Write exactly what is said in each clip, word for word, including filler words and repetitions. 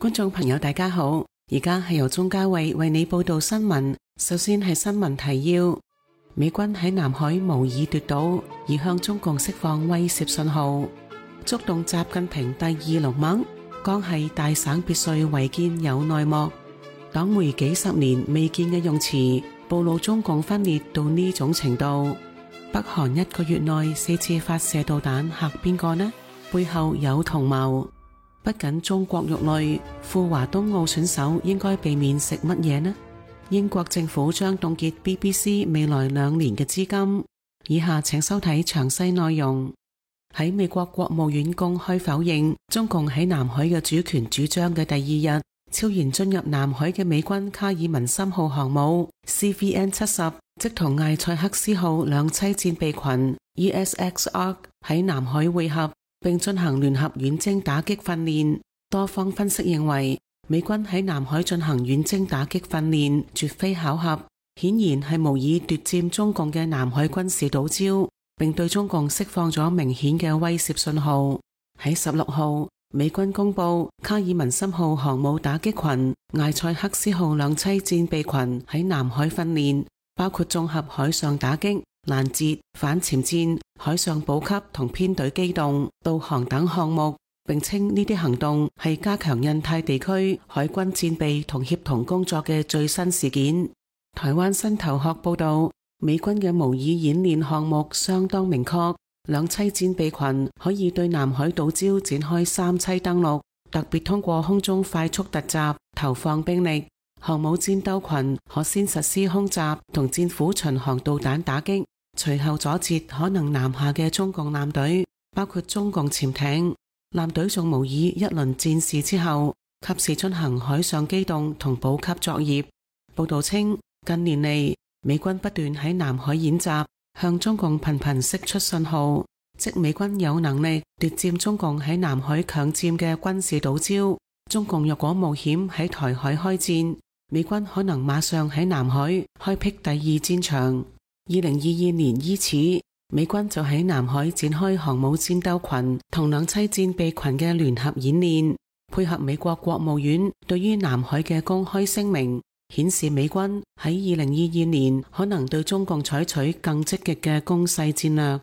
觀眾朋友大家好，而家係由鍾嘉慧為你報道新聞。首先係新聞提要：美軍喺南海無意奪島，而向中共釋放威懾信號，觸動習近平第二龍脈。江系大省別墅違建有內幕，黨媒幾十年未見嘅用詞，暴露中共分裂到呢種程度。北韓一個月內四次發射導彈，嚇邊個呢？背後有同謀。不僅中國肉類，赴華東奧選手應該避免食乜嘢呢？英國政府將凍結 B B C 未來兩年嘅資金。以下請收睇詳細內容。喺美國國務院公開否認中共喺南海嘅主權主張嘅第二日，超然進入南海嘅美軍卡爾文森號航母 C V N 七十，即同艾塞克斯號兩棲戰備群 E S X Ark 喺南海會合，並進行聯合遠征打擊訓練。多方分析認為，美軍喺南海進行遠征打擊訓練絕非巧合，顯然係無意奪佔中共嘅南海軍事島礁，並對中共釋放咗明顯嘅威懾信號。喺十六號，美軍公布卡爾文森號航母打擊群、艾塞克斯號兩棲戰備群喺南海訓練，包括綜合海上打擊、攔截、反潛戰、海上補給同編隊機動、導航等項目，並稱呢啲行動係加強印太地區海軍戰備同協同工作嘅最新事件。台灣新頭殼報道，美軍嘅模擬演練項目相當明確，兩棲戰備群可以對南海島礁展開三棲登陸，特別通過空中快速突襲投放兵力。航母戰鬥群可先實施空襲同戰斧巡航導彈打擊，隨後阻截可能南下嘅中共艦隊，包括中共潛艇。艦隊仲模擬一輪戰事之後，及時進行海上機動同補給作業。報道稱，近年嚟美軍不斷喺南海演習，向中共頻頻釋出信號，即美軍有能力奪佔中共喺南海強佔嘅軍事島礁。中共若果冒險喺台海開戰，美軍可能馬上喺南海開闢第二戰場。二零二二年伊始，美軍就喺南海展開航母戰鬥群同兩棲戰備群嘅聯合演練，配合美國國務院對於南海嘅公開聲明，顯示美軍喺二零二二年可能對中共採取更積極嘅攻勢戰略。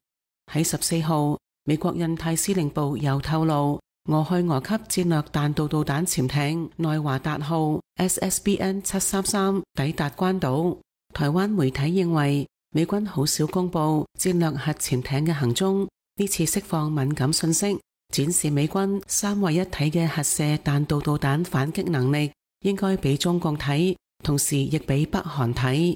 喺十四號，美國印太司令部又透露，俄亥俄級戰略彈道導彈潛艇內華達號 S S B N 七三三抵達關島。台灣媒體認為，美軍好少公布戰略核潛艇嘅行蹤，呢次釋放敏感信息，展示美軍三位一體嘅核射彈道導彈反擊能力，應該俾中共睇，同時亦俾北韓睇。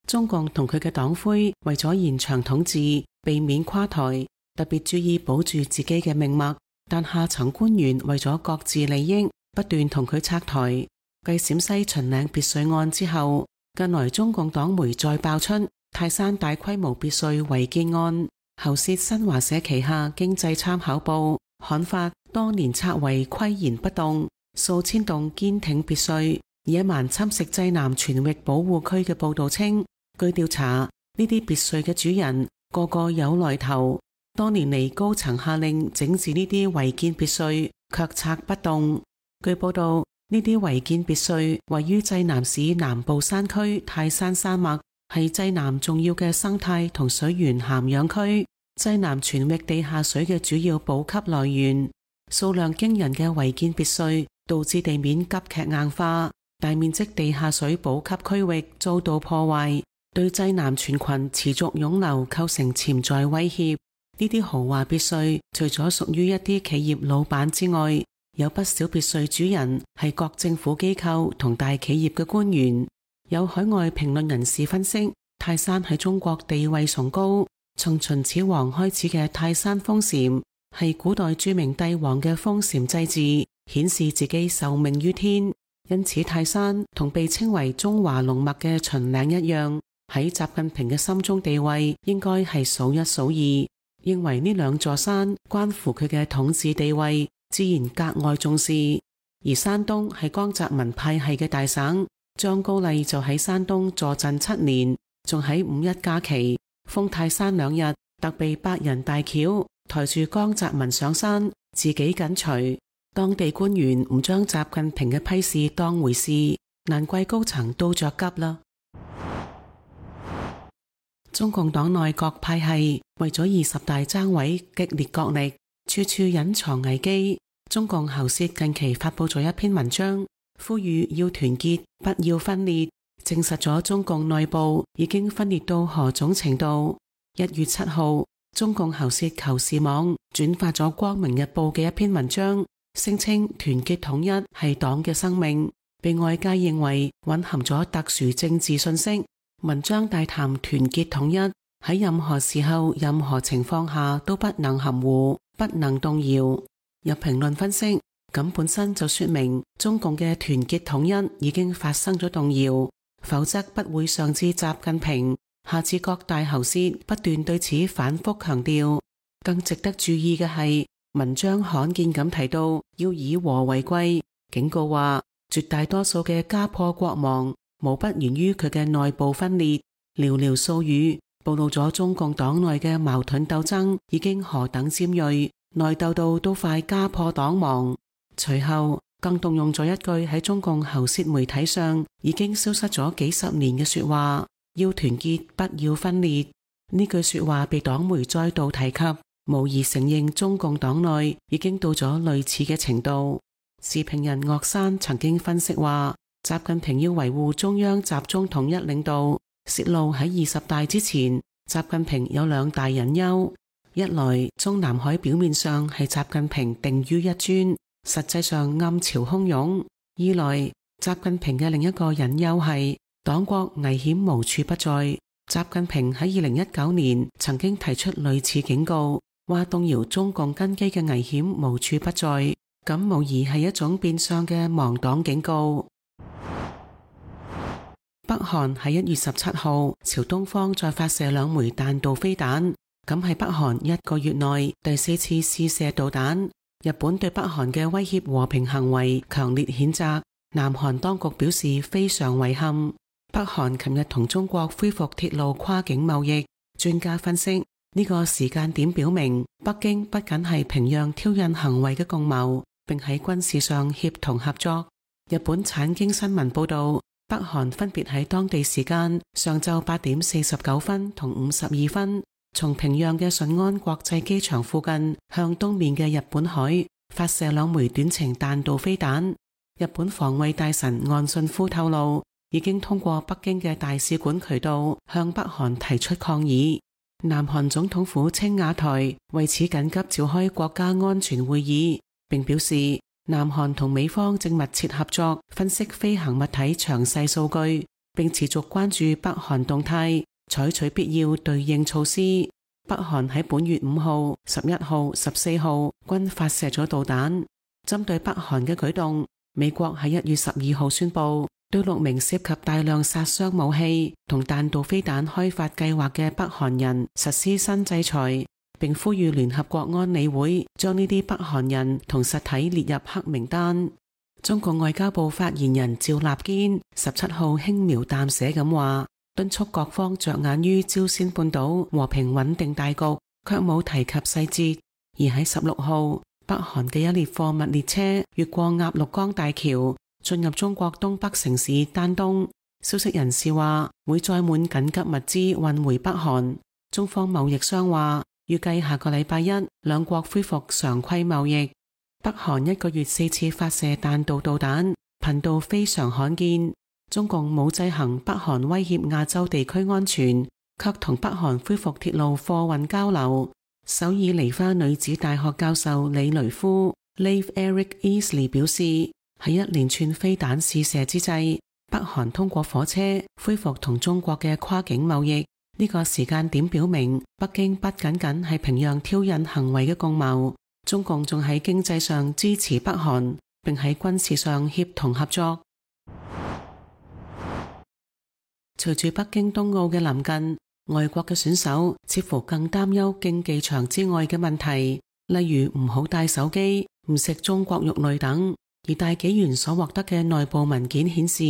中共同佢嘅黨魁為咗延長統治，避免垮台，特別注意保住自己嘅命脈，但下層官員為咗各自利益，不斷同佢拆台。繼陝西秦嶺別墅案之後，近來中共黨媒再爆出泰山大規模別墅違建案，喉舌新華社旗下經濟參考報刊發多年拆違巋然不動，數千棟堅挺別墅野蠻侵蝕濟南全域保護區嘅報道稱，據調查，呢啲別墅嘅主人個個有來頭，多年嚟高層下令整治呢啲違建別墅，卻拆不動。據報道，呢啲違建別墅位於濟南市南部山區泰山山脈，係濟南重要嘅生態同水源涵養區，濟南全域地下水嘅主要補給來源。數量驚人嘅違建別墅導致地面急劇硬化，大面積地下水補給區域遭到破壞，對濟南全群持續湧流構成潛在威脅。呢啲豪華別墅除咗屬於一啲企業老闆之外，有不少別墅主人係各政府機構同大企業嘅官員。有海外評論人士分析，泰山喺中國地位崇高，從秦始皇開始嘅泰山封禪係古代著名帝王嘅封禪祭祀，顯示自己受命於天。因此泰山同被稱為中華龍脈嘅秦嶺一樣，喺習近平嘅心中地位應該係數一數二，認為呢兩座山關乎佢嘅統治地位，自然格外重視。而山東係江澤民派系嘅大省，張高麗就喺山東坐鎮七年，仲喺五一假期封泰山兩日，特備百人大轎抬住江澤民上山，自己緊隨。當地官員唔將習近平嘅批示當回事，難怪高層都着急啦。中共黨內各派系為咗二十大爭位激烈角力，處處隱藏危機。中共喉舌近期發佈咗一篇文章，呼籲要團結，不要分裂，證實咗中共內部已經分裂到何種程度。一月七號，中共喉舌求是網轉發咗《光明日報》嘅一篇文章，聲稱團結統一係黨嘅生命，被外界認為蘊含咗特殊政治信息。文章大談團結統一喺任何時候、任何情況下都不能含糊，不能動搖。有評論分析，咁本身就說明中共嘅團結統一已經發生咗動搖，否則不會上至習近平，下至各大喉舌不斷對此反覆強調。更值得注意嘅係，文章罕見咁提到要以和為貴，警告話絕大多數嘅家破國亡無不源於佢嘅內部分裂。寥寥數語暴露咗中共黨內嘅矛盾鬥爭已經何等尖銳，內鬥到都快家破黨亡。隨後更動用咗一句喺中共喉舌媒體上已經消失咗幾十年嘅說話，要團結，不要分裂。呢句說話被黨媒再度提及，無疑承認中共黨內已經到咗類似嘅程度。時評人岳山曾經分析話，習近平要維護中央集中統一領導，泄露喺二十大之前，習近平有兩大隱憂：一來中南海表面上係習近平定於一尊，實際上暗潮洶湧；二來習近平嘅另一個隱憂係黨國危險無處不在。習近平喺二零一九年曾經提出類似警告，話動搖中共根基嘅危險無處不在，咁無疑係一種變相嘅亡黨警告。北韓喺一月十七號朝東方再發射兩枚彈道飛彈，咁係北韓一個月內第四次試射導彈。日本對北韓嘅威脅和平行為強烈譴責，南韓當局表示非常遺憾。北韓琴日同中國恢復鐵路跨境貿易，專家分析呢個時間點表明，北京不僅係平壤挑釁行為嘅共謀，並喺軍事上協同合作。日本產經新聞報道，北韓分別喺當地時間上晝八點四十九分同五十二分，從平壤嘅順安國際機場附近向東面嘅日本海發射兩枚短程彈道飛彈。日本防衛大臣岸信夫透露，已經通過北京嘅大使館渠道向北韓提出抗議。南韓總統府青瓦台為此緊急召開國家安全會議，並表示南韓同美方正密切合作分析飛行物體詳細數據，並持續關注北韓動態，採取必要對應措施。北韓喺本月五號、十一號、十四號均發射咗導彈。針對北韓嘅舉動，美國喺一月十二號宣布對六名涉及大量殺傷武器同彈道飛彈開發計劃嘅北韓人實施新制裁，並呼籲聯合國安理會將呢啲北韓人同實體列入黑名單。中共外交部發言人趙立堅十七號輕描淡寫咁話，敦促各方着眼於朝鮮半島和平穩定大局，卻冇提及細節。而喺十六號，北韓嘅一列貨物列車越過鴨綠江大橋，進入中國東北城市丹東。消息人士話會載滿緊急物資運回北韓。中方貿易商話預計下個禮拜一兩國恢復常規貿易。北韓一個月四次發射彈道導彈，頻度非常罕見。中共冇制衡北韓威脅亞洲地區安全，卻同北韓恢復鐵路貨運交流。首爾梨花女子大學教授李雷夫 Leif Eric Easley 表示，喺一連串飛彈試射之際，北韓通過火車恢復同中國嘅跨境貿易。呢個時間點表明，北京不僅僅係平壤挑釁行為嘅共謀，中共仲喺經濟上支持北韓，並喺軍事上協同合作。隨住北京冬奧嘅臨近，外國嘅選手似乎更擔憂競技場之外嘅問題，例如唔好帶手機、唔食中國肉類等。而大紀元所獲得嘅內部文件顯示，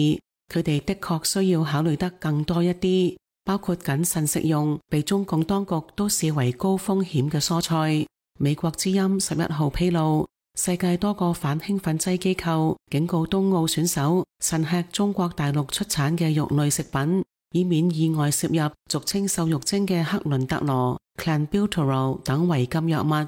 佢哋的確需要考慮得更多一啲，包括謹慎食用被中共當局都視為高風險嘅蔬菜，美國之音十一號披露，世界多個反興奮劑機構警告東奧選手慎吃中國大陸出產嘅肉類食品，以免意外攝入俗稱瘦肉精嘅克倫特羅、clenbuterol 等違禁藥物。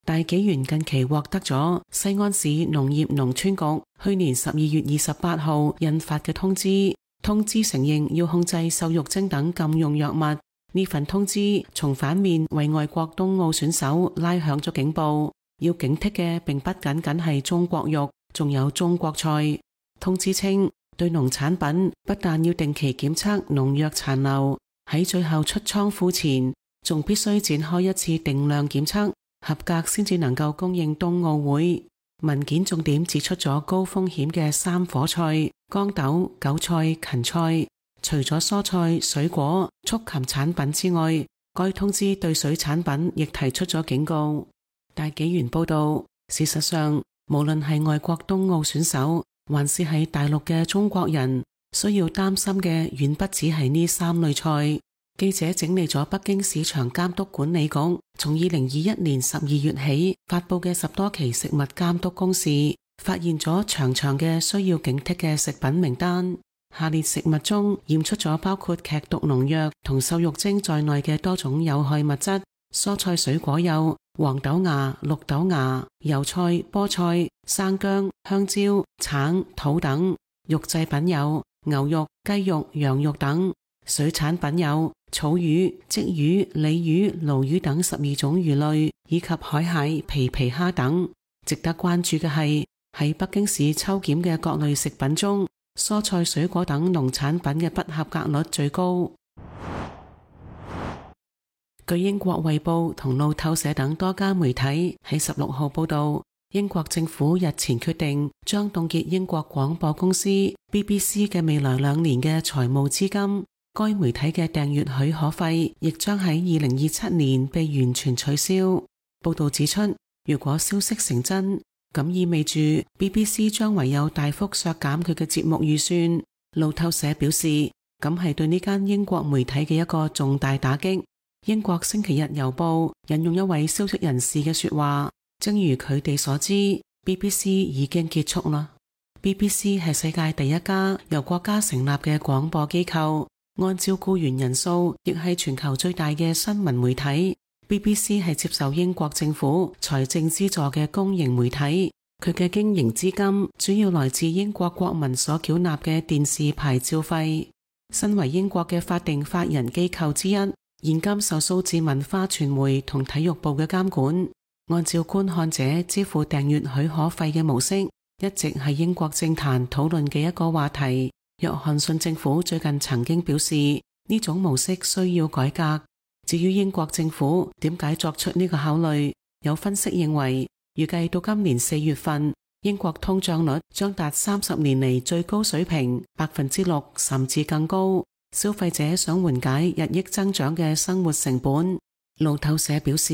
大紀元近期獲得咗西安市農業農村局去年十二月二十八號印發嘅通知，通知承認要控制瘦肉精等禁用藥物。呢份通知從反面為外國東奧選手拉響咗警報，要警惕嘅並不僅僅係中國肉，仲有中國菜。通知稱，對農產品不但要定期檢測農藥殘留，喺最後出倉庫前，仲必須展開一次定量檢測，合格先至能夠供應冬奧會。文件重點指出咗高風險嘅三顆菜、豇豆、韭菜、芹菜。除咗蔬菜、水果、畜禽產品之外，該通知對水產品亦提出咗警告。大紀元報道，事實上，無論係外國冬奧選手，還是係大陸嘅中國人，需要擔心嘅遠不止係呢三類菜。記者整理咗北京市場監督管理局從二零二一年十二月起發佈嘅十多期食物監督公示，發現咗長長嘅需要警惕嘅食品名單。下列食物中驗出咗包括劇毒農藥同瘦肉精在內嘅多種有害物質。蔬菜水果有黃豆芽、綠豆芽、油菜、菠菜、生薑、香蕉、橙、桃等。肉製品有牛肉、雞肉、羊肉等。水產品有草魚、鯽魚、鯉魚、鱸魚等十二種魚類，以及海蟹、皮皮蝦等。值得關注嘅係，喺北京市抽檢嘅各類食品中，蔬菜水果等農產品嘅不合格率最高。據英國衛報同路透社等多家媒體喺十六號報道，英國政府日前決定將凍結英國廣播公司 B B C 嘅未來兩年嘅財務資金。該媒體嘅訂閱許可費亦將喺二零二七年被完全取消。報道指出，如果消息成真，咁意味住 B B C 將唯有大幅削減佢嘅節目預算。路透社表示，咁係對呢間英國媒體嘅一個重大打擊。英國星期日郵報引用一位消息人士嘅說話，正如佢哋所知， B B C 已經結束啦。B B C 係世界第一家由國家成立嘅廣播機構，按照僱員人數，亦係全球最大嘅新聞媒體。B B C 係接受英國政府財政資助嘅公營媒體，佢嘅經營資金主要來自英國國民所繳納嘅電視牌照費。身為英國嘅法定法人機構之一，現今受數字文化傳媒同體育部嘅監管。按照觀看者支付訂閱許可費嘅模式，一直係英國政壇討論嘅一個話題。約翰遜政府最近曾經表示，呢種模式需要改革。至於英國政府點解作出呢個考慮，有分析認為，預計到今年四月份，英國通脹率將達三十年嚟最高水平，百分之六甚至更高。消費者想緩解日益增長嘅生活成本。路透社表示，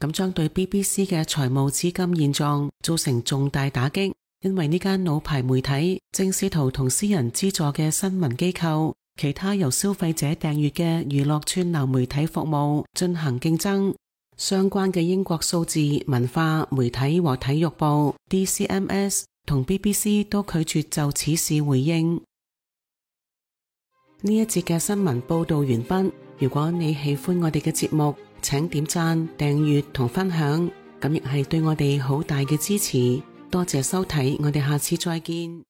咁將對 B B C 嘅財務資金現狀造成重大打擊。因為呢間老牌媒體正試圖同私人資助嘅新聞機構、其他由消費者訂閱嘅娛樂串流媒體服務進行競爭。相關嘅英國數字文化媒體和體育部 D C M S 同 B B C 都拒絕就此事回應。呢一節嘅新聞報道完畢。如果你喜歡我哋嘅節目，請點讚、訂閱同分享，咁亦係對我哋好大嘅支持。多謝收睇，我哋下次再見。